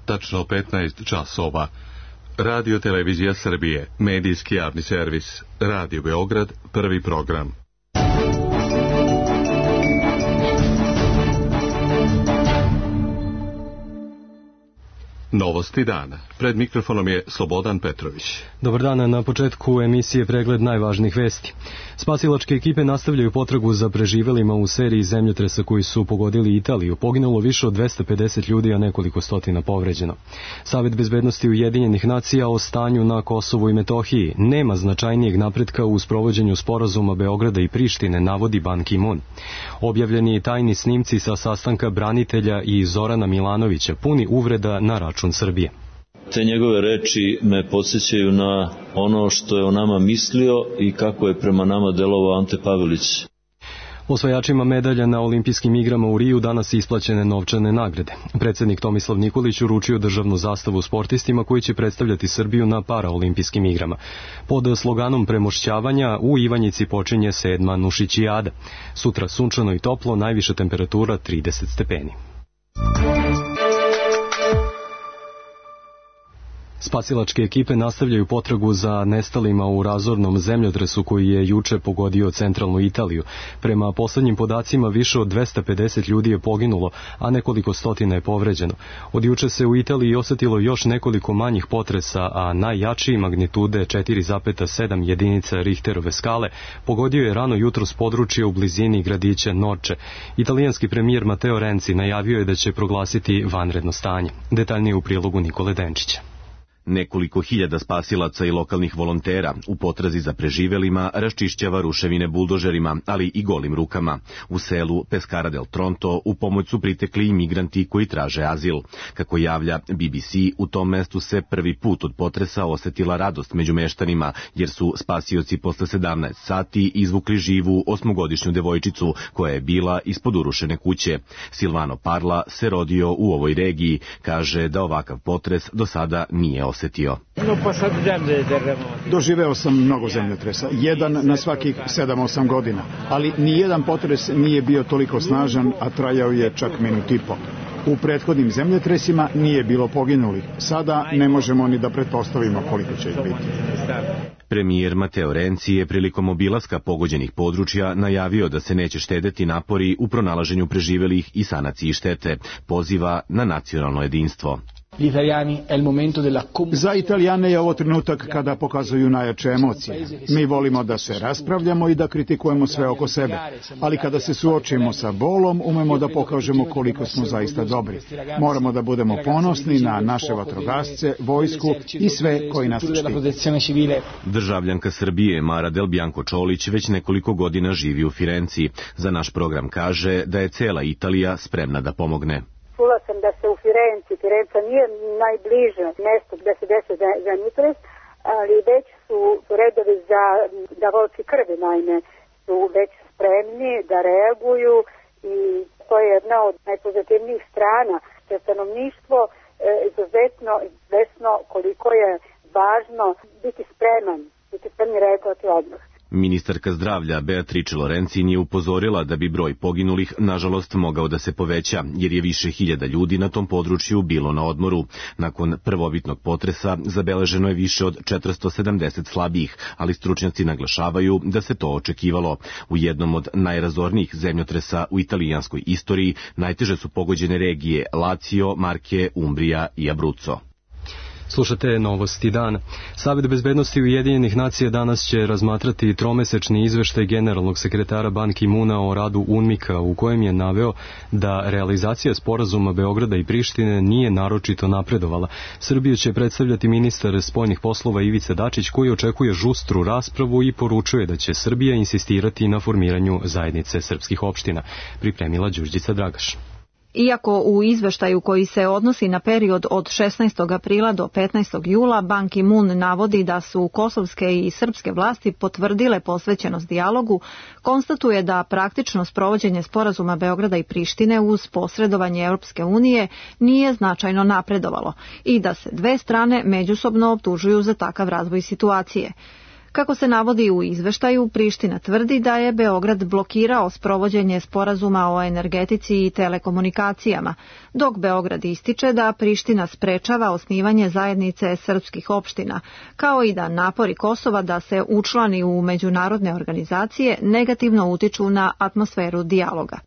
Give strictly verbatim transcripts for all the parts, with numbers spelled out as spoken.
tačno petnaest časova. Radio Televizija Srbije, medijski javni servis, Radio Beograd, prvi program. Novosti dana. Pred mikrofonom je Slobodan Petrović. Dobar dan, na početku emisije pregled najvažnijih vesti. Spasilačke ekipe nastavljaju potragu za preživelima u seriji zemljotresa koji su pogodili Italiju. Poginulo više od dvesta pedeset ljudi, a nekoliko stotina povređeno. Savet bezbednosti Ujedinjenih nacija o stanju na Kosovu i Metohiji. Nema značajnijeg napretka u sprovođenju sporazuma Beograda i Prištine, navodi Ban Ki-moon. Objavljeni tajni snimci sa sastanka branitelja i Zorana Milanovića, puni uvreda na račun Srbije. Te njegove reči me podsjećaju na ono što je o nama mislio i kako je prema nama delovao Ante Pavelić. Osvajačima medalja na olimpijskim igrama u Riju danas isplaćene novčane nagrade. Predsednik Tomislav Nikolić uručio državnu zastavu sportistima koji će predstavljati Srbiju na paraolimpijskim igrama. Pod sloganom premošćavanja u Ivanjici počinje sedma Nušićijada. Sutra sunčano i toplo, najviša temperatura trideset stepeni. Spasilačke ekipe nastavljaju potragu za nestalima u razornom zemljotresu koji je juče pogodio centralnu Italiju. Prema poslednjim podacima više od dvesta pedeset ljudi je poginulo, a nekoliko stotina je povređeno. Od juče se u Italiji osetilo još nekoliko manjih potresa, a najjačiji magnitude četiri zarez sedam jedinica Richterove skale pogodio je rano jutro s područja u blizini gradića Norče. Italijanski premijer Matteo Renzi najavio je da će proglasiti vanredno stanje. Detaljnije u prilogu Nikole Denčića. Nekoliko hiljada spasilaca i lokalnih volontera u potrazi za preživelima raščišćava ruševine buldožerima, ali i golim rukama. U selu Pescara del Tronto u pomoć su pritekli i migranti koji traže azil. Kako javlja B B C, u tom mestu se prvi put od potresa osetila radost među meštanima, jer su spasioci posle sedamnaest sati izvukli živu osmogodišnju devojčicu koja je bila ispod urušene kuće. Silvano Parla se rodio u ovoj regiji, kaže da ovakav potres do sada nije osetio. Doživeo sam mnogo zemljotresa, jedan na svakih sedam osam godina, ali ni jedan potres nije bio toliko snažan, a trajao je čak minut i po. U prethodnim zemljotresima nije bilo poginulih. Sada ne možemo ni da pretpostavimo koliko će ih biti. Premijer Matteo Renzi je prilikom obilaska pogođenih područja najavio da se neće štedeti napori u pronalaženju preživelih i sanaciji štete. Poziva na nacionalno jedinstvo. Za Italijane je ovo trenutak kada pokazuju najjače emocije. Mi volimo da se raspravljamo i da kritikujemo sve oko sebe, ali kada se suočimo sa bolom, umemo da pokažemo koliko smo zaista dobri. Moramo da budemo ponosni na naše vatrogasce, vojsku i sve koji nas štite. Državljanka Srbije Mara Del Bianco Čolić već nekoliko godina živi u Firenci. Za naš program kaže da je cela Italija spremna da pomogne. Čula sam da se u Firenci, Firenca nije najbliže mesto gde se desi zemljotres, ali već su redovi za davaoci krvi, naime, su već spremni da reaguju i to je jedna od najpozitivnijih strana, da stanovništvo e, izuzetno svesno koliko je važno biti spreman, biti spremni reagovati odmah. Ministarka zdravlja Beatrice Lorencin je upozorila da bi broj poginulih nažalost mogao da se poveća, jer je više hiljada ljudi na tom području bilo na odmoru. Nakon prvobitnog potresa zabeleženo je više od četiristo sedamdeset slabijih, ali stručnjaci naglašavaju da se to očekivalo. U jednom od najrazornijih zemljotresa u italijanskoj istoriji najteže su pogođene regije Lazio, Marke, Umbrija i Abruzzo. Slušate Novosti dana. Savet bezbednosti Ujedinjenih nacija danas će razmatrati tromesečni izveštaj generalnog sekretara Ban Ki-moona o radu UNMIK-a, u kojem je naveo da realizacija sporazuma Beograda i Prištine nije naročito napredovala. Srbiju će predstavljati ministar spoljnih poslova Ivica Dačić, koji očekuje žustru raspravu i poručuje da će Srbija insistirati na formiranju zajednice srpskih opština. Pripremila Đurđica Dragaš. Iako u izveštaju koji se odnosi na period od šesnaestog aprila do petnaestog jula, Ban Ki-moon navodi da su kosovske i srpske vlasti potvrdile posvećenost dijalogu, konstatuje da praktično sprovođenje sporazuma Beograda i Prištine uz posredovanje Europske unije nije značajno napredovalo i da se dve strane međusobno optužuju za takav razvoj situacije. Kako se navodi u izveštaju, Priština tvrdi da je Beograd blokirao sprovođenje sporazuma o energetici i telekomunikacijama, dok Beograd ističe da Priština sprečava osnivanje zajednice srpskih opština, kao i da napori Kosova da se učlani u međunarodne organizacije negativno utiču na atmosferu dijaloga.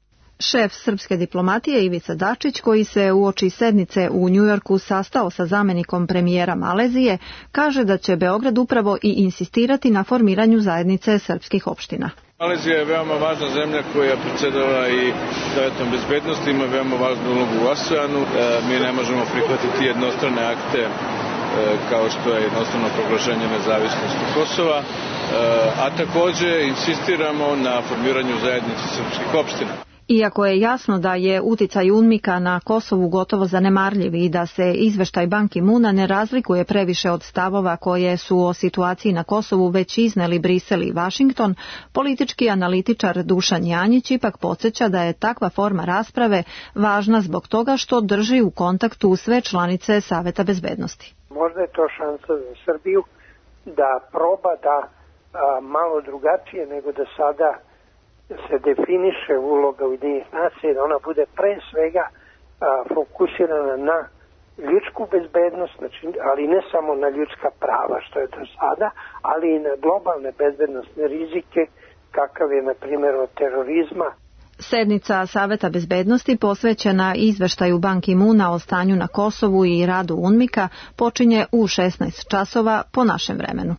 Šef srpske diplomatije Ivica Dačić, koji se uoči sednice u Njujorku sastao sa zamenikom premijera Malezije, kaže da će Beograd upravo i insistirati na formiranju zajednice srpskih opština. Malezija je veoma važna zemlja koja predsjedava i Savetom bezbednosti, ima veoma važnu ulogu u ASEANu. Mi ne možemo prihvatiti jednostrane akte kao što je jednostrano proglašenje nezavisnosti Kosova, a također insistiramo na formiranju zajednice srpskih opština. Iako je jasno da je uticaj UNMIK-a na Kosovu gotovo zanemarljiv i da se izveštaj Ban Ki-moona ne razlikuje previše od stavova koje su o situaciji na Kosovu već izneli Brisel i Vašington, politički analitičar Dušan Janjić ipak podsjeća da je takva forma rasprave važna zbog toga što drži u kontaktu sve članice Saveta bezbednosti. Možda je to šansa za Srbiju da proba da a, malo drugačije nego da sada se definiše uloga Ujedinjenih nacija, da ona bude pre svega a, fokusirana na ljudsku bezbednost, znači, ali ne samo na ljudska prava što je do sada, ali i na globalne bezbednostne rizike kakav je na primjer od terorizma. Sednica Saveta bezbednosti posvećena izveštaju Ban Ki-moona o stanju na Kosovu i radu UNMIK-a počinje u šesnaest časova po našem vremenu.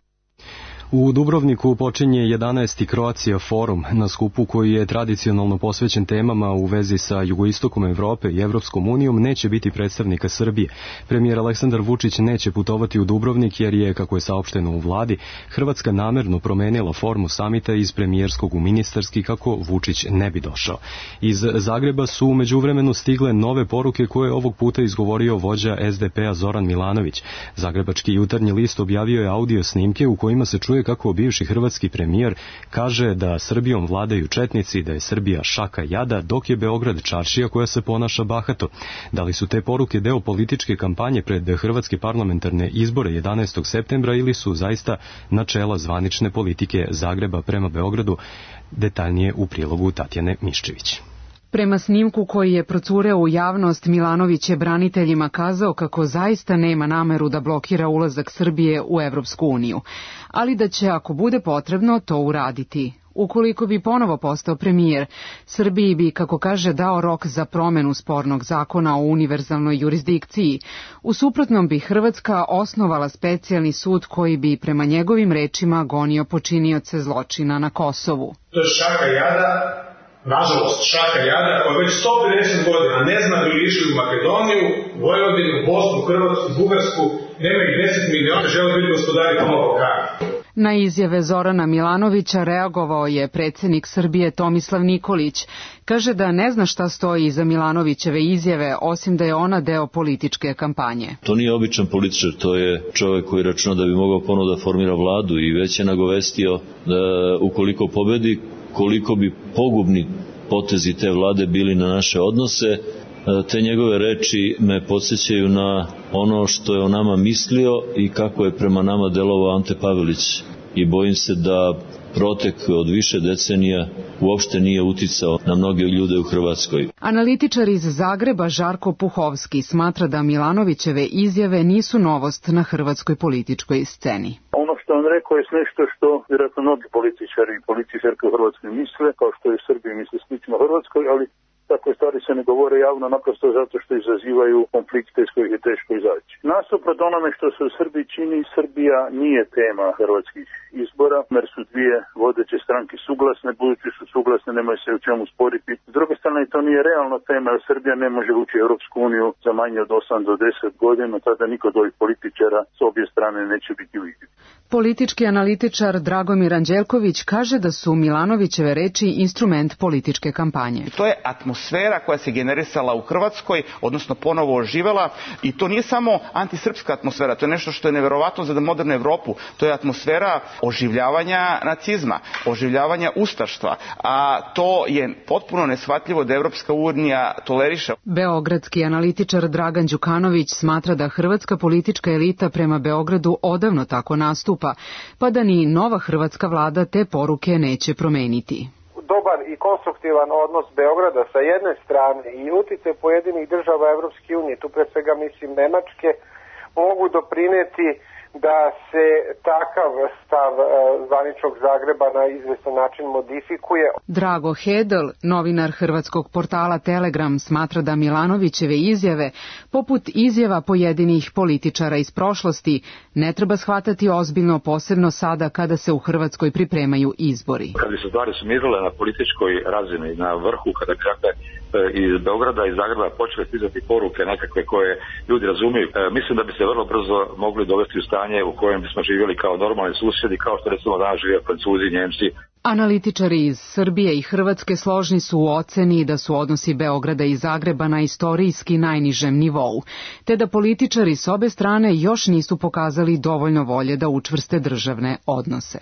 U Dubrovniku počinje jedanaesti Croatia forum, na skupu koji je tradicionalno posvećen temama u vezi sa jugoistokom Evrope i Evropskom unijom neće biti predstavnika Srbije. Premijer Aleksandar Vučić neće putovati u Dubrovnik jer je, kako je saopšteno u vladi, Hrvatska namerno promenila formu samita iz premijerskog u ministarski kako Vučić ne bi došao. Iz Zagreba su u međuvremenu stigle nove poruke koje je ovog puta izgovorio vođa es de pe a Zoran Milanović. Zagrebački jutarnji list objavio je audio snimke u kojima se čuje kako bivši hrvatski premijer kaže da Srbijom vladaju četnici, da je Srbija šaka jada, dok je Beograd čaršija koja se ponaša bahato. Da li su te poruke deo političke kampanje pred hrvatske parlamentarne izbore jedanaestog septembra ili su zaista načela zvanične politike Zagreba prema Beogradu? Detaljnije u prilogu Tatjane Miščević. Prema snimku koji je procureo u javnost, Milanović je braniteljima kazao kako zaista nema nameru da blokira ulazak Srbije u Evropsku uniju, ali da će, ako bude potrebno, to uraditi. Ukoliko bi ponovo postao premijer, Srbiji bi, kako kaže, dao rok za promenu spornog zakona o univerzalnoj jurisdikciji. U suprotnom bi Hrvatska osnovala specijalni sud koji bi, prema njegovim rečima, gonio počinioce zločina na Kosovu. To je šaka jada. Nažalost, šaka jada koja već sto pedeset godina ne zna bi li išli u Makedoniju, Vojvodinu, Bosnu, Hrvatsku, Bugarsku, nema ih deset miliona, žele biti gospodari tamo Balkana. Na izjave Zorana Milanovića reagovao je predsjednik Srbije Tomislav Nikolić. Kaže da ne zna šta stoji iza Milanovićeve izjave, osim da je ona deo političke kampanje. To nije običan političar, to je čovjek koji računa da bi mogao ponovo da formira vladu i već je nagovestio da ukoliko pobedi, koliko bi pogubni potezi te vlade bili na naše odnose. Te njegove reči me podsjećaju na ono što je o nama mislio i kako je prema nama delovao Ante Pavelić. I bojim se da protek od više decenija uopšte nije uticao na mnoge ljude u Hrvatskoj. Analitičar iz Zagreba Žarko Puhovski smatra da Milanovićeve izjave nisu novost na hrvatskoj političkoj sceni. Ono što on rekao je nešto što vjerojatno mnogi političari i političarke u Hrvatskoj misle, kao što je u Srbiji misle slično Hrvatskoj, ali takve stvari se ne govore javno naprosto zato što izazivaju konflikte iz kojih je teško izaći. Nasuprot onome što se u Srbiji čini, Srbija nije tema hrvatskih izbora, jer su dvije vodeće stranke suglasne, budući su suglasne, nemaju se u čemu sporiti. S druge strane, to nije realna tema, jer Srbija ne može ući u Europsku uniju za manje od osam do deset godina, tada niko od ovih političara s obje strane neće biti u igri. Politički analitičar Dragomir Anđelković kaže da su Milanovićeve reči instrument političke kampanje. To je atmosfera atmosfera koja se generisala u Hrvatskoj, odnosno ponovo oživela, i to nije samo antisrpska atmosfera, to je nešto što je neverovatno za modernu Evropu, to je atmosfera oživljavanja nacizma, oživljavanja ustaštva, a to je potpuno neshvatljivo da Evropska unija toleriše. Beogradski analitičar Dragan Đukanović smatra da hrvatska politička elita prema Beogradu odavno tako nastupa, pa da ni nova hrvatska vlada te poruke neće promeniti. Dobar i konstruktivan odnos Beograda sa jedne strane i uticaj pojedinih država Evropske unije, tu pre svega mislim Nemačke, mogu doprineti da se takav stav zvaničnog Zagreba na izvestan način modifikuje. Drago Hedl, novinar hrvatskog portala Telegram, smatra da Milanovićeve izjave, poput izjava pojedinih političara iz prošlosti, ne treba shvatati ozbiljno, posebno sada kada se u Hrvatskoj pripremaju izbori. Kad bi se stvari sumirale na političkoj razini, na vrhu, kada bi dakle iz Beograda i Zagreba počele stizati poruke nekakve koje ljudi razumiju, mislim da bi se vrlo brzo mogli dovesti u stanje u kojem bismo živjeli kao normalni susjedi, kao što recimo danas žive Francuzi, Njemci. Analitičari iz Srbije i Hrvatske složni su u oceni da su odnosi Beograda i Zagreba na istorijski najnižem nivou, te da političari s obe strane još nisu pokazali dovoljno volje da učvrste državne odnose.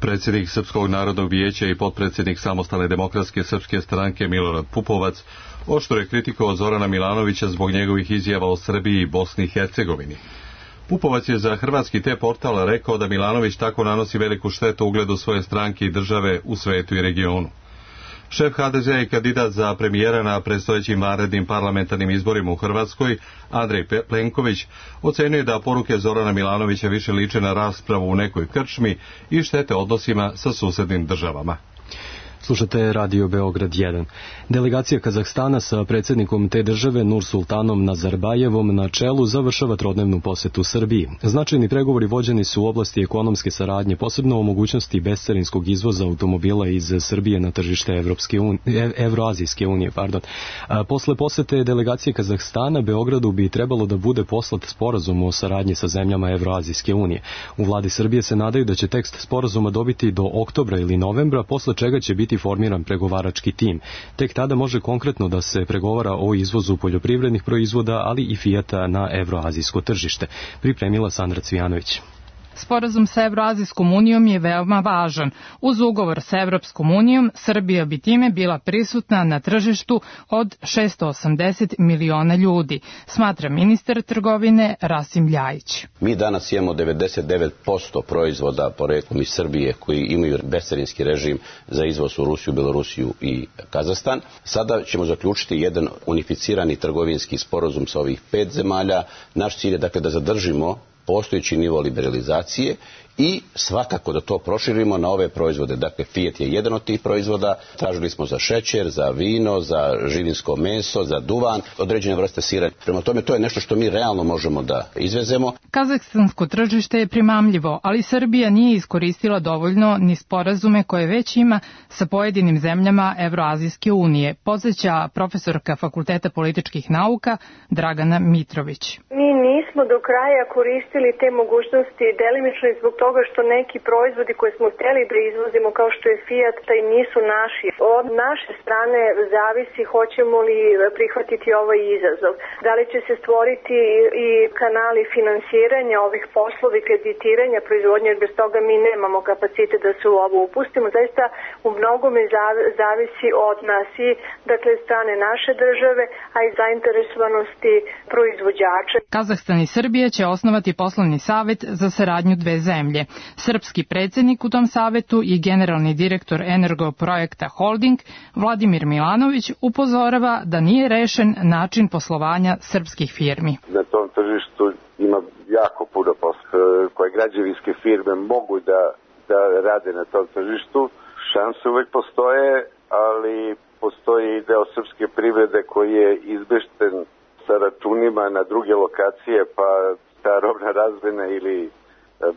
Predsjednik Srpskog narodnog vijeća i potpredsjednik Samostalne demokratske srpske stranke Milorad Pupovac oštro je kritikovao Zorana Milanovića zbog njegovih izjava o Srbiji i Bosni i Hercegovini. Pupovac je za hrvatski te portal rekao da Milanović tako nanosi veliku štetu ugledu svoje stranke i države u svetu i regionu. Šef ha de zea i kandidat za premijera na predstojećim vanrednim parlamentarnim izborima u Hrvatskoj, Andrej Plenković, ocenjuje da poruke Zorana Milanovića više liče na raspravu u nekoj krčmi i štete odnosima sa susednim državama. Slušate Radio Beograd jedan. Delegacija Kazahstana sa predsjednikom te države Nursultanom Nazarbajevom na čelu završava trodnevnu posetu Srbiji. Značajni pregovori vođeni su u oblasti ekonomske saradnje, posebno o mogućnosti bescarinskog izvoza automobila iz Srbije na tržište Evropske unije, Evroazijske unije. Pardon. A posle posete delegacije Kazahstana Beogradu bi trebalo da bude poslat sporazum o saradnji sa zemljama Evroazijske unije. U vladi Srbije se nadaju da će tekst sporazuma dobiti do oktobra ili novembra, posle čega će biti formiran pregovarački tim. Tek tada može konkretno da se pregovara o izvozu poljoprivrednih proizvoda, ali i Fijata na evroazijsko tržište. Pripremila Sandra Cvijanović. Sporazum sa Evroazijskom unijom je veoma važan. Uz ugovor sa Evropskom unijom, Srbija bi time bila prisutna na tržištu od šesto osamdeset miliona ljudi, smatra ministar trgovine Rasim Ljajić. Mi danas imamo devedeset devet posto proizvoda poreklom iz Srbije koji imaju bescarinski režim za izvoz u Rusiju, Belorusiju i Kazahstan. Sada ćemo zaključiti jedan unificirani trgovinski sporazum sa ovih pet zemalja. Naš cilj je dakle da zadržimo postojeći nivo liberalizacije i svakako da to proširimo na ove proizvode. Dakle, Fiat je jedan od tih proizvoda. Tražili smo za šećer, za vino, za živinsko meso, za duvan, određene vrste sira. Prema tome, to je nešto što mi realno možemo da izvezemo. Kazahstansko tržište je primamljivo, ali Srbija nije iskoristila dovoljno ni sporazume koje već ima sa pojedinim zemljama Evroazijske unije, podsjeća profesorka Fakulteta političkih nauka Dragana Mitrović. Mi nismo do kraja koristili te mogućnosti, delimično i zbog toga što neki proizvodi koje smo hteli da izvozimo, kao što je Fiat, taj nisu naši. Od naše strane zavisi hoćemo li prihvatiti ovaj izazov. Da li će se stvoriti i kanali finansiranja ovih poslova i kreditiranja proizvodnje, jer bez toga mi nemamo kapacitet da se u ovo upustimo. Zaista u mnogome zavisi od nas i dakle strane naše države, a i zainteresovanosti proizvođača. Kazahstan i Srbija će osnovati poslovni savet za saradnju dve zemlje. Srpski predsjednik u tom savetu i generalni direktor Energoprojekta Holding Vladimir Milanović upozorava da nije rešen način poslovanja srpskih firmi. Na tom tržištu ima jako puno posla koje građevinske firme mogu da, da rade na tom tržištu. Šanse uvek postoje, ali postoji i deo srpske privrede koji je izbešten sa računima na druge lokacije, pa ta robna razmena ili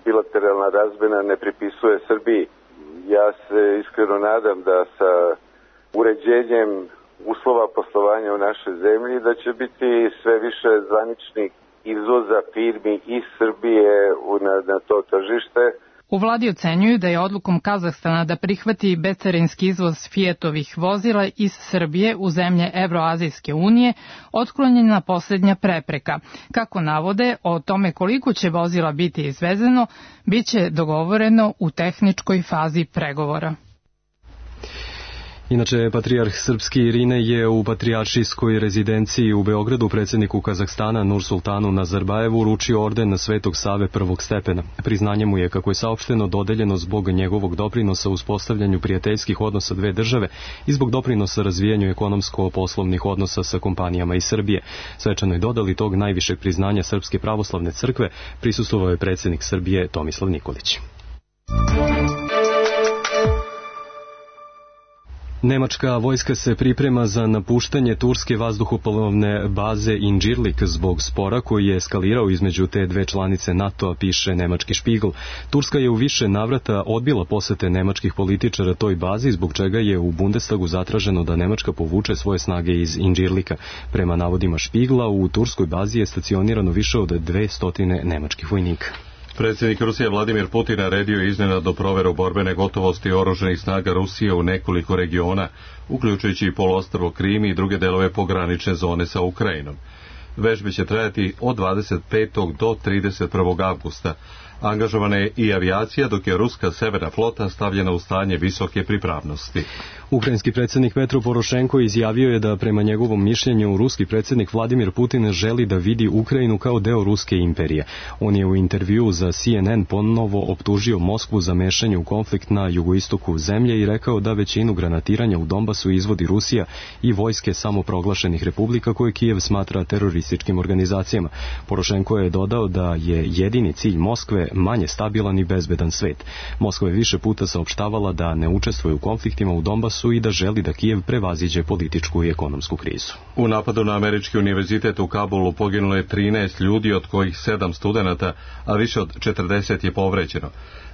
bilateralna razmena ne pripisuje Srbiji. Ja se iskreno nadam da sa uređenjem uslova poslovanja u našoj zemlji da će biti sve više zvaničnih izvoza firmi iz Srbije na, na to tržište. U vladi ocenjuju da je odlukom Kazahstana da prihvati bescarinski izvoz Fiatovih vozila iz Srbije u zemlje Evroazijske unije otklonjena posljednja prepreka. Kako navode, o tome koliko će vozila biti izvezeno, bit će dogovoreno u tehničkoj fazi pregovora. Inače, patrijarh srpski Irine je u patrijaršijskoj rezidenciji u Beogradu predsjedniku Kazahstana Nursultanu Nazarbajevu uručio orden Svetog Save prvog stepena. Priznanje mu je, kako je saopšteno, dodeljeno zbog njegovog doprinosa uspostavljanju prijateljskih odnosa dve države i zbog doprinosa razvijanju ekonomsko-poslovnih odnosa sa kompanijama iz Srbije. Svečanoj dodali tog najvišeg priznanja Srpske pravoslavne crkve prisustvovao je predsjednik Srbije Tomislav Nikolić. Nemačka vojska se priprema za napuštanje turske vazduhoplovne baze Incirlik zbog spora koji je eskalirao između te dve članice NATO-a, piše nemački Spiegel. Turska je u više navrata odbila posete nemačkih političara toj bazi, zbog čega je u Bundestagu zatraženo da Nemačka povuče svoje snage iz Incirlika. Prema navodima Spiegela, u turskoj bazi je stacionirano više od dvesta nemačkih vojnika. Predsjednik Rusije Vladimir Putin naredio iznenadnu proveru borbene gotovosti oružanih snaga Rusije u nekoliko regiona, uključujući i poluostrvo Krim i druge delove pogranične zone sa Ukrajinom. Vežbe će trajati od dvadeset petog do trideset prvog avgusta. Angažovana je i avijacija, dok je ruska severna flota stavljena u stanje visoke pripravnosti. Ukrajinski predsjednik Petro Porošenko izjavio je da prema njegovom mišljenju ruski predsjednik Vladimir Putin želi da vidi Ukrajinu kao deo ruske imperije. On je u intervjuu za C N N ponovo optužio Moskvu za mešanje u konflikt na jugoistoku zemlje i rekao da većinu granatiranja u Donbasu izvodi Rusija i vojske samoproglašenih republika koje Kijev smatra terorističkim organizacijama. Porošenko je dodao da je jedini cilj Moskve manje stabilan i bezbedan svet. Moskva je više puta saopštavala da ne učestvuje u konfliktima u Donbasu i da želi da Kijev prevaziđe političku i ekonomsku krizu. U napadu na američki univerzitet u Kabulu poginulo je trinaest ljudi, od kojih sedam studenata, a više od četrdeset je povređeno.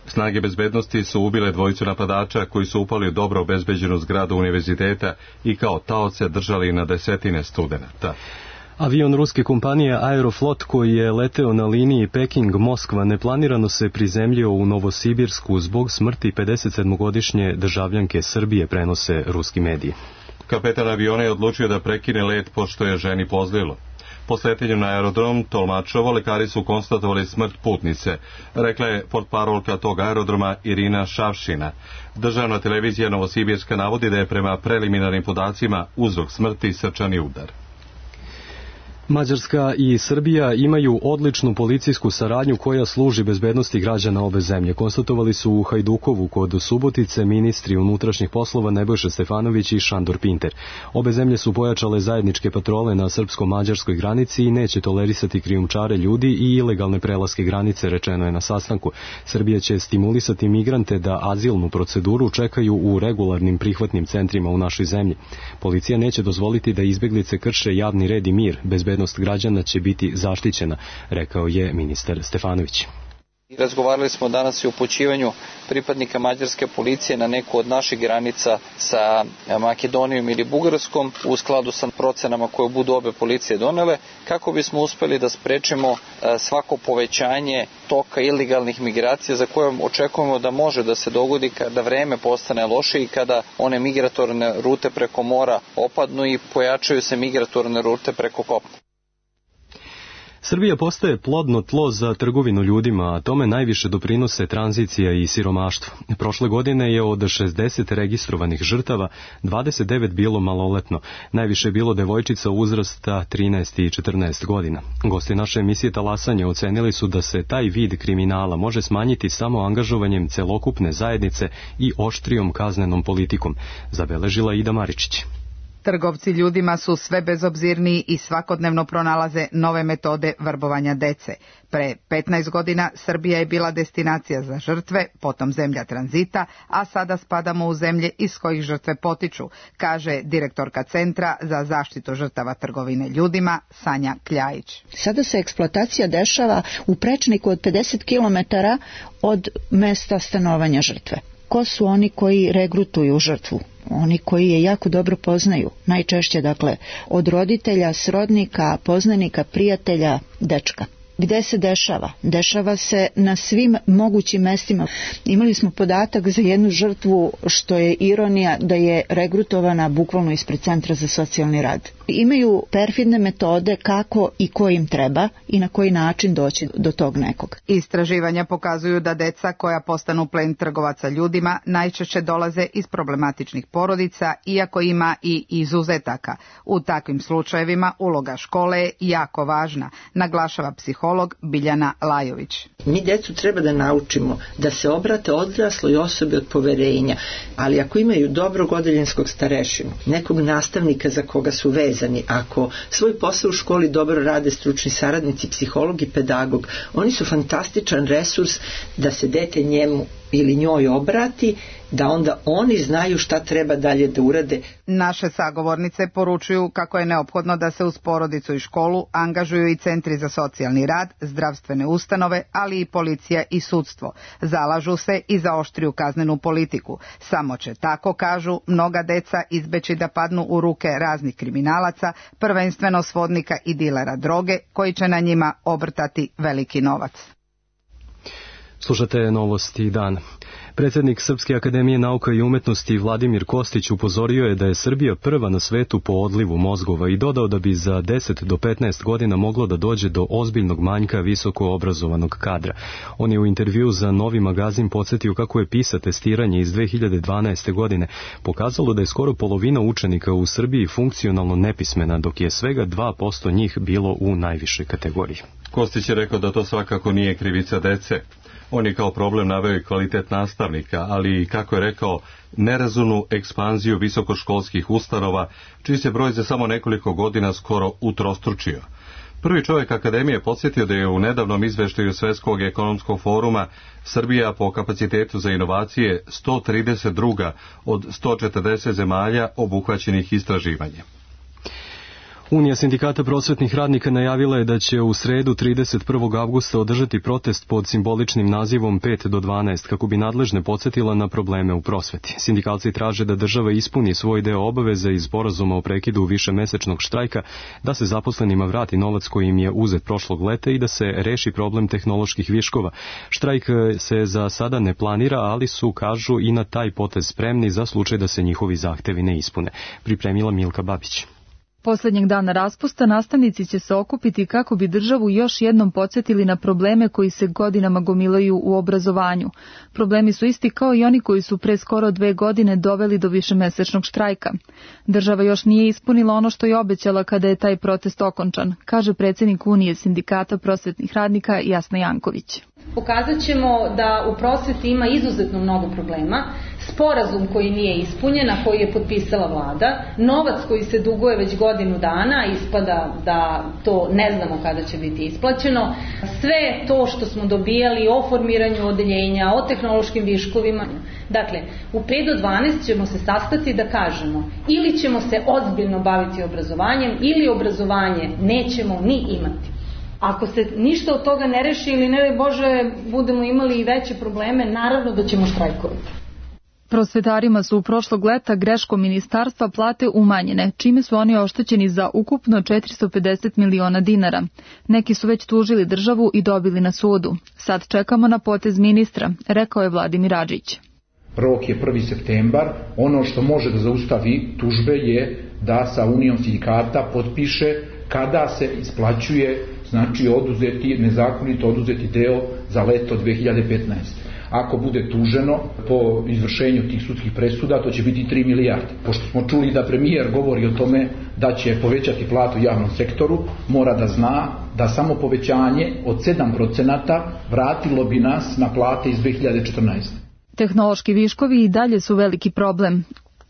Snage bezbednosti su ubile dvojicu napadača koji su upali u dobro obezbeđenu zgradu univerziteta i kao taoce držali na desetine studenata. Avion ruske kompanije Aeroflot koji je leteo na liniji Peking-Moskva neplanirano se prizemljio u Novosibirsku zbog smrti pedesetsedmogodišnje državljanke Srbije, prenose ruski mediji. Kapetan aviona je odlučio da prekine let pošto je ženi pozlilo. Po sletenju na aerodrom Tolmačovo lekari su konstatovali smrt putnice, rekla je portparolka tog aerodroma Irina Šavšina. Državna televizija Novosibirska navodi da je prema preliminarnim podacima uzrok smrti srčani udar. Mađarska i Srbija imaju odličnu policijsku saradnju koja služi bezbednosti građana obe zemlje. Konstatovali su u Hajdukovu kod Subotice ministri unutrašnjih poslova Nebojša Stefanović i Šandor Pinter. Obe zemlje su pojačale zajedničke patrole na srpsko-mađarskoj granici i neće tolerisati krijumčare ljudi i ilegalne prelaske granice, rečeno je na sastanku. Srbija će stimulisati migrante da azilnu proceduru čekaju u regularnim prihvatnim centrima u našoj zemlji. Policija neće dozvoliti da izbeglice krše javni red i mir. Bezbednost građana će biti zaštićena, rekao je ministar Stefanović. Razgovarali smo danas i o upućivanju pripadnika mađarske policije na neku od naših granica sa Makedonijom ili Bugarskom u skladu sa procenama koje budu obe policije donele, kako bismo uspeli da sprečimo svako povećanje toka ilegalnih migracija za koje očekujemo da može da se dogodi kada vreme postane loše i kada one migratorne rute preko mora opadnu i pojačaju se migratorne rute preko kopna. Srbija postaje plodno tlo za trgovinu ljudima, a tome najviše doprinose tranzicija i siromaštvo. Prošle godine je od šezdeset registrovanih žrtava dvadeset devet bilo maloletno. Najviše je bilo devojčica uzrasta trinaest i četrnaest godina. Gosti naše emisije Talasanje ocenili su da se taj vid kriminala može smanjiti samo angažovanjem celokupne zajednice i oštrijom kaznenom politikom, zabeležila Ida Maričić. Trgovci ljudima su sve bezobzirniji i svakodnevno pronalaze nove metode vrbovanja dece. Pre petnaest godina Srbija je bila destinacija za žrtve, potom zemlja tranzita, a sada spadamo u zemlje iz kojih žrtve potiču, kaže direktorka Centra za zaštitu žrtava trgovine ljudima Sanja Kljajić. Sada se eksploatacija dešava u prečniku od pedeset kilometara od mesta stanovanja žrtve. Ko su oni koji regrutuju žrtvu? Oni koji je jako dobro poznaju, najčešće dakle od roditelja, srodnika, poznanika, prijatelja, dečka. Gde se dešava? Dešava se na svim mogućim mestima. Imali smo podatak za jednu žrtvu, što je ironija, da je regrutovana bukvalno ispred Centra za socijalni rad. Imaju perfidne metode kako i ko im treba i na koji način doći do tog nekog. Istraživanja pokazuju da deca koja postanu plen trgovaca ljudima najčešće dolaze iz problematičnih porodica, iako ima i izuzetaka. U takvim slučajevima uloga škole je jako važna, naglašava psiholog Biljana Lajović. Mi djecu treba da naučimo da se obrate odrasloj osobi od poverenja, ali ako imaju dobrog odeljenskog starešinu, nekog nastavnika za koga su vezani, ako svoj posao u školi dobro rade stručni saradnici, psiholog i pedagog, oni su fantastičan resurs da se dete njemu ili njoj obrati, da onda oni znaju šta treba dalje da urade. Naše sagovornice poručuju kako je neophodno da se uz porodicu i školu angažuju i centri za socijalni rad, zdravstvene ustanove, ali i policija i sudstvo. Zalažu se i za oštriju kaznenu politiku. Samo će, tako kažu, mnoga deca izbeći da padnu u ruke raznih kriminalaca, prvenstveno svodnika i dilera droge, koji će na njima obrtati veliki novac. Slušate Novosti dan. Predsjednik Srpske akademije nauka i umetnosti Vladimir Kostić upozorio je da je Srbija prva na svetu po odlivu mozgova i dodao da bi za deset do petnaest godina moglo da dođe do ozbiljnog manjka visoko obrazovanog kadra. On je u intervju za Novi magazin podsjetio kako je PISA testiranje iz dve hiljade dvanaeste. godine pokazalo da je skoro polovina učenika u Srbiji funkcionalno nepismena, dok je svega dva posto njih bilo u najvišoj kategoriji. Kostić je rekao da to svakako nije krivica dece. On je kao problem naveo i kvalitet nastavnika, ali, kako je rekao, nerazumnu ekspanziju visokoškolskih ustanova, čiji se broj za samo nekoliko godina skoro utrostručio. Prvi čovjek akademije podsjetio da je u nedavnom izveštaju Svetskog ekonomskog foruma Srbija po kapacitetu za inovacije sto trideset druga od sto četrdeset zemalja obuhvaćenih istraživanjem. Unija sindikata prosvetnih radnika najavila je da će u sredu trideset prvog avgusta održati protest pod simboličnim nazivom pet do dvanaest kako bi nadležne podsjetila na probleme u prosveti. Sindikalci traže da država ispuni svoj deo obaveze iz sporazuma o prekidu višemesečnog štrajka, da se zaposlenima vrati novac koji im je uzet prošlog leta i da se reši problem tehnoloških viškova. Štrajk se za sada ne planira, ali su, kažu, i na taj potez spremni za slučaj da se njihovi zahtevi ne ispune. Pripremila Milka Babić. Poslednjeg dana raspusta nastavnici će se okupiti kako bi državu još jednom podsjetili na probleme koji se godinama gomilaju u obrazovanju. Problemi su isti kao i oni koji su pre skoro dve godine doveli do višemesečnog štrajka. Država još nije ispunila ono što je obećala kada je taj protest okončan, kaže predsjednik Unije sindikata prosvetnih radnika Jasna Janković. Pokazat ćemo da u prosveti ima izuzetno mnogo problema, sporazum koji nije ispunjen, a koji je potpisala vlada, novac koji se duguje već godinu dana, ispada da to ne znamo kada će biti isplaćeno, sve to što smo dobijali o formiranju odeljenja, o tehnološkim viškovima. Dakle, u pet do dvanaest ćemo se sastati da kažemo ili ćemo se ozbiljno baviti obrazovanjem ili obrazovanje nećemo ni imati. Ako se ništa od toga ne reši ili ne Bože budemo imali i veće probleme, naravno da ćemo štrajkovati. Prosvetarima su u prošlog leta greškom ministarstva plate umanjene, čime su oni oštećeni za ukupno četiristo pedeset miliona dinara. Neki su već tužili državu i dobili na sudu. Sad čekamo na potez ministra, rekao je Vladimir Adžić. Rok je prvi septembar. Ono što može da zaustavi tužbe je da sa Unijom sindikata potpiše kada se isplaćuje, znači oduzeti, nezakonito oduzeti deo za leto dve hiljade petnaeste. Ako bude tuženo po izvršenju tih sudskih presuda, to će biti tri milijarde. Pošto smo čuli da premijer govori o tome da će povećati platu u javnom sektoru, mora da zna da samo povećanje od sedam procenata vratilo bi nas na plate iz dve hiljade četrnaeste. Tehnološki viškovi i dalje su veliki problem.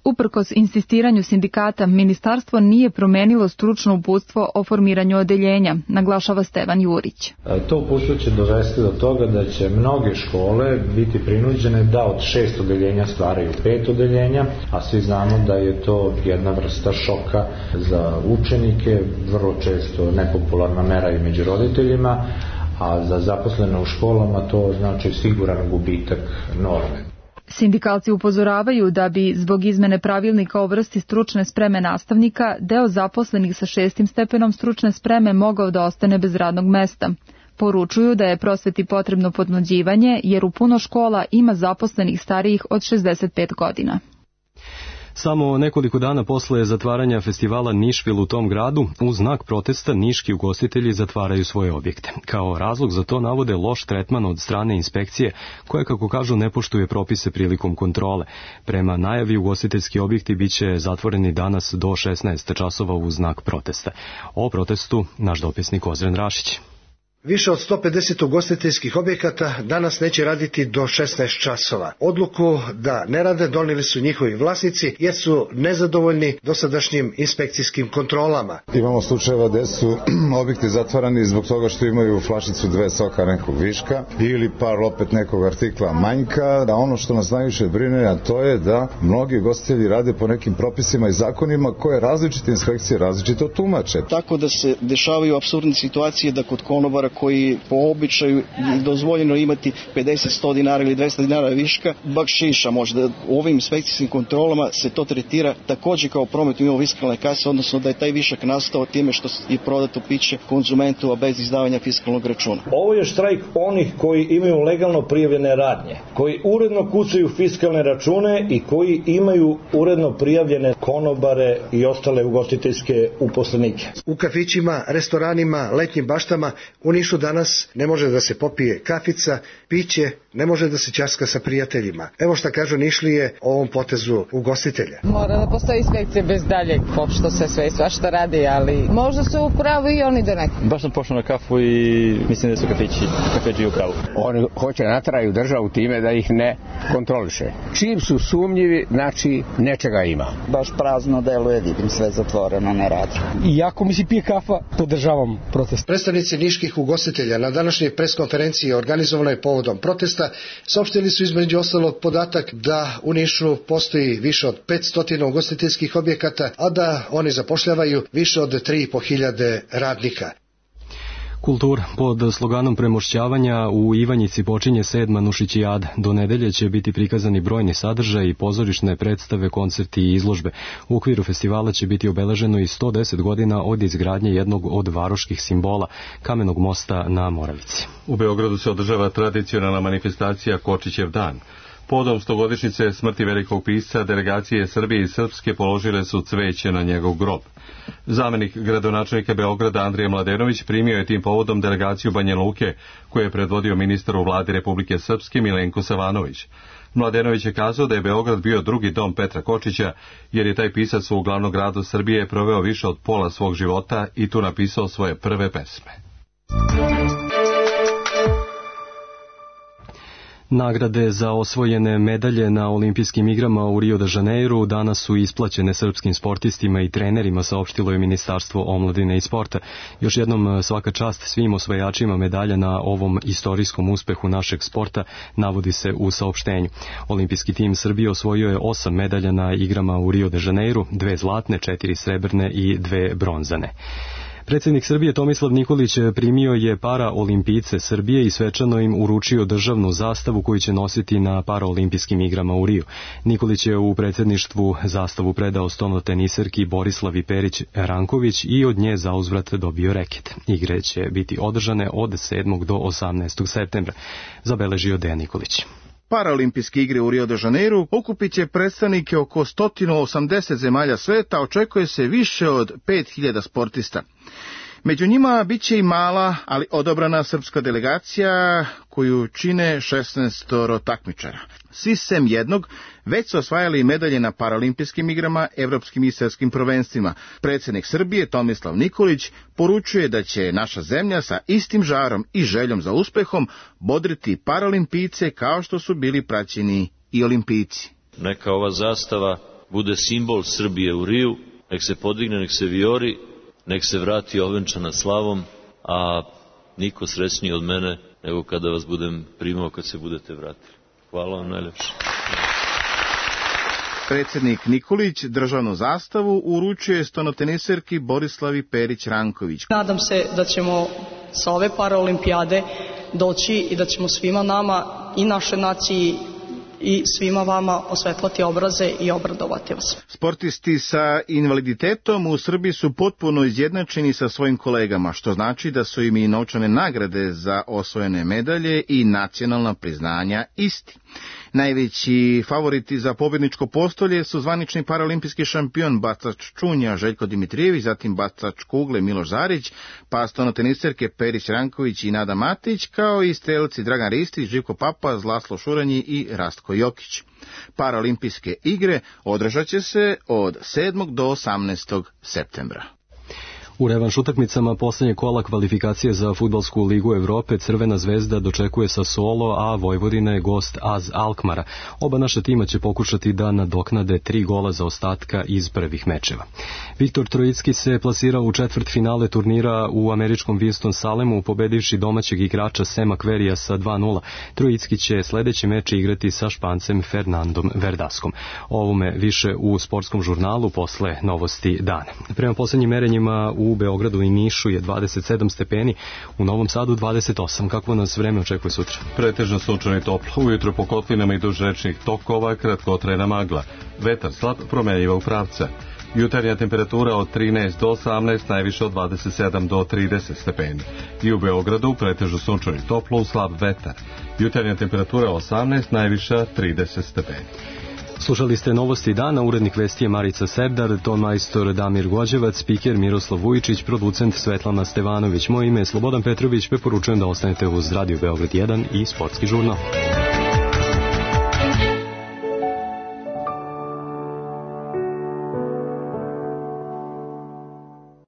Uprkos insistiranju sindikata, ministarstvo nije promenilo stručno uputstvo o formiranju odeljenja, naglašava Stevan Jurić. To uputstvo će dovesti do toga da će mnoge škole biti prinuđene da od šest odeljenja stvaraju pet odeljenja, a svi znamo da je to jedna vrsta šoka za učenike, vrlo često nepopularna mera i među roditeljima, a za zaposlene u školama to znači siguran gubitak norme. Sindikalci upozoravaju da bi zbog izmene pravilnika o vrsti stručne spreme nastavnika deo zaposlenih sa šestim stepenom stručne spreme mogao da ostane bez radnog mesta. Poručuju da je prosveti potrebno podmlađivanje jer u puno škola ima zaposlenih starijih od šezdeset pet godina. Samo nekoliko dana posle zatvaranja festivala Nišvil u tom gradu, u znak protesta niški ugostitelji zatvaraju svoje objekte. Kao razlog za to navode loš tretman od strane inspekcije, koja, kako kažu, ne poštuje propise prilikom kontrole. Prema najavi, ugostiteljski objekti biće zatvoreni danas do šesnaest časova u znak protesta. O protestu naš dopisnik Ozren Rašić. Više od sto pedeset ugostiteljskih objekata danas neće raditi do šesnaest časova. Odluku da ne rade donijeli su njihovi vlasnici jer su nezadovoljni dosadašnjim inspekcijskim kontrolama. Imamo slučajeva gde su objekti zatvarani zbog toga što imaju flašicu dve soka nekog viška ili par opet nekog artikla manjka. A ono što nas najviše brine, a to je da mnogi ugostitelji rade po nekim propisima i zakonima koje različite inspekcije različito tumače. Tako da se dešavaju apsurdne situacije da kod konobara koji po običaju dozvoljeno imati pedeset sto dinara ili dvesta dinara viška, bakšiša možda. U ovim inspekcijskim kontrolama se to tretira također kao promet mimo fiskalne kase, odnosno da je taj višak nastao time što je prodato piće konzumentu, a bez izdavanja fiskalnog računa. Ovo je štrajk onih koji imaju legalno prijavljene radnje, koji uredno kucaju fiskalne račune i koji imaju uredno prijavljene konobare i ostale ugostiteljske uposlenike. U kafićima, restoranima, letnjim baštama u Nišu danas ne može da se popije kafica, piće, ne može da se ćaska sa prijateljima. Evo šta kažu Nišlije o ovom potezu ugostitelja. Mora da postoji inspekcija bez daljeg, pošto se sve i svašta radi, ali možda su u pravu i oni da neki. Baš sam pošao na kafu i mislim da su kafići, kafići u pravu. Oni hoće natraju državu time da ih ne kontroliše. Čim su sumnjivi, znači nečega ima. Baš prazno deluje, vidim sve zatvoreno, ne radi. Iako mi se pije kafa, podržavam protest. Predstavnici niških ugostitelja na današnjoj preskonferenciji organizovanoj povodom protesta saopštili su između ostalog podatak da u Nišu postoji više od petsto ugostiteljskih objekata, a da oni zapošljavaju više od tri i po hiljade radnika. Kultura. Pod sloganom premošćavanja u Ivanjici počinje sedma Nušićijada. Do nedelje će biti prikazani brojni sadržaj i pozorišne predstave, koncerti i izložbe. U okviru festivala će biti obeleženo i sto deset godina od izgradnje jednog od varoških simbola, Kamenog mosta na Moravici. U Beogradu se održava tradicionalna manifestacija Kočićev dan. Povodom stogodišnjice smrti velikog pisca, delegacije Srbije i Srpske položile su cveće na njegov grob. Zamenik gradonačelnika Beograda Andrija Mladenović primio je tim povodom delegaciju Banja Luke, koju je predvodio ministar u vladi Republike Srpske Milenko Savanović. Mladenović je kazao da je Beograd bio drugi dom Petra Kočića, jer je taj pisac u glavnom gradu Srbije proveo više od pola svog života i tu napisao svoje prve pesme. Nagrade za osvojene medalje na olimpijskim igrama u Rio de Janeiru danas su isplaćene srpskim sportistima i trenerima, saopštilo je Ministarstvo omladine i sporta. Još jednom svaka čast svim osvajačima medalja na ovom istorijskom uspehu našeg sporta, navodi se u saopštenju. Olimpijski tim Srbije osvojio je osam medalja na igrama u Rio de Janeiru, dve zlatne, četiri srebrne i dve bronzane. Predsjednik Srbije Tomislav Nikolić primio je paraolimpijce Srbije i svečano im uručio državnu zastavu koju će nositi na paraolimpijskim igrama u Riju. Nikolić je u predsjedništvu zastavu predao stonoteniserki Borislavi Perić Ranković i od nje zauzvrat dobio reket. Igre će biti održane od sedmog do osamnaestog septembra, zabeležio Dejan Nikolić. Paraolimpijske igre u Rio de Janeiru okupit će predstavnike oko sto osamdeset zemalja sveta, očekuje se više od pet hiljada sportista. Među njima bit će i mala, ali odobrana srpska delegacija koju čine šesnaest takmičara. Svi sem jednog već su osvajali medalje na paraolimpijskim igrama, evropskim i svjetskim prvenstvima. Predsjednik Srbije Tomislav Nikolić poručuje da će naša zemlja sa istim žarom i željom za uspehom bodriti paraolimpijce kao što su bili praćeni i olimpijci. Neka ova zastava bude simbol Srbije u Riju, nek se podigne, nek se vijori, nek se vrati ovenčana slavom, a niko srećniji od mene nego kada vas budem primao kad se budete vratili. Hvala vam najljepše. Predsjednik Nikolić državnu zastavu uručuje stonoteniserki Borislavi Perić Ranković. Nadam se da ćemo sa ove paraolimpijade doći i da ćemo svima nama i našoj naciji i svima vama osvetlati obraze i obradovati vas. Sportisti sa invaliditetom u Srbiji su potpuno izjednačeni sa svojim kolegama, što znači da su im i novčane nagrade za osvojene medalje i nacionalna priznanja isti. Najveći favoriti za pobjedničko postolje su zvanični paraolimpijski šampion bacač čunja Željko Dimitrijević, zatim bacač kugle Miloš Zarić, pa stonoteniserke Perić Ranković i Nada Matić, kao i strelci Dragan Ristić, Živko Papa, Laslo Šuranji i Rastko Jokić. Paraolimpijske igre održat će se od sedmog do osamnaestog septembra. U revanš utakmicama posljednje kola kvalifikacije za Fudbalsku ligu Evrope Crvena zvezda dočekuje Sassuolo, a Vojvodina je gost A Z Alkmara. Oba naša tima će pokušati da nadoknade tri gola za ostatka iz prvih mečeva. Viktor Trojicki se plasirao u četvrt finale turnira u američkom Winston-Salemu, pobedivši domaćeg igrača Sema Kverija sa dva nula. Trojicki će sledeći meč igrati sa Špancem Fernandom Verdaskom. Ovome više u sportskom žurnalu posle novosti dana. Prema posljednjim merenjima u U Beogradu i Nišu je dvadeset sedam stepeni, u Novom Sadu dvadeset osam. Kako nas vreme očekuje sutra? Pretežno sunčano i toplo, ujutro po kotlinama i duž rečnih tokova kratkotrajna magla. Vetar slab, promenljiva u pravca. Jutarnja temperatura od trinaest do osamnaest, najviše od dvadeset sedam do trideset stepeni. I u Beogradu pretežno sunčano i toplo, uz slab vetar. Jutarnja temperatura osamnaest, najviša trideset stepeni. Slušali ste novosti dana, urednik vesti je Marica Serdar, ton majstor Damir Gođevac, spiker Miroslav Vujičić, producent Svetlana Stevanović. Moje ime je Slobodan Petrović, preporučujem da ostanete uz Radio Beograd jedan i Sportski žurnal.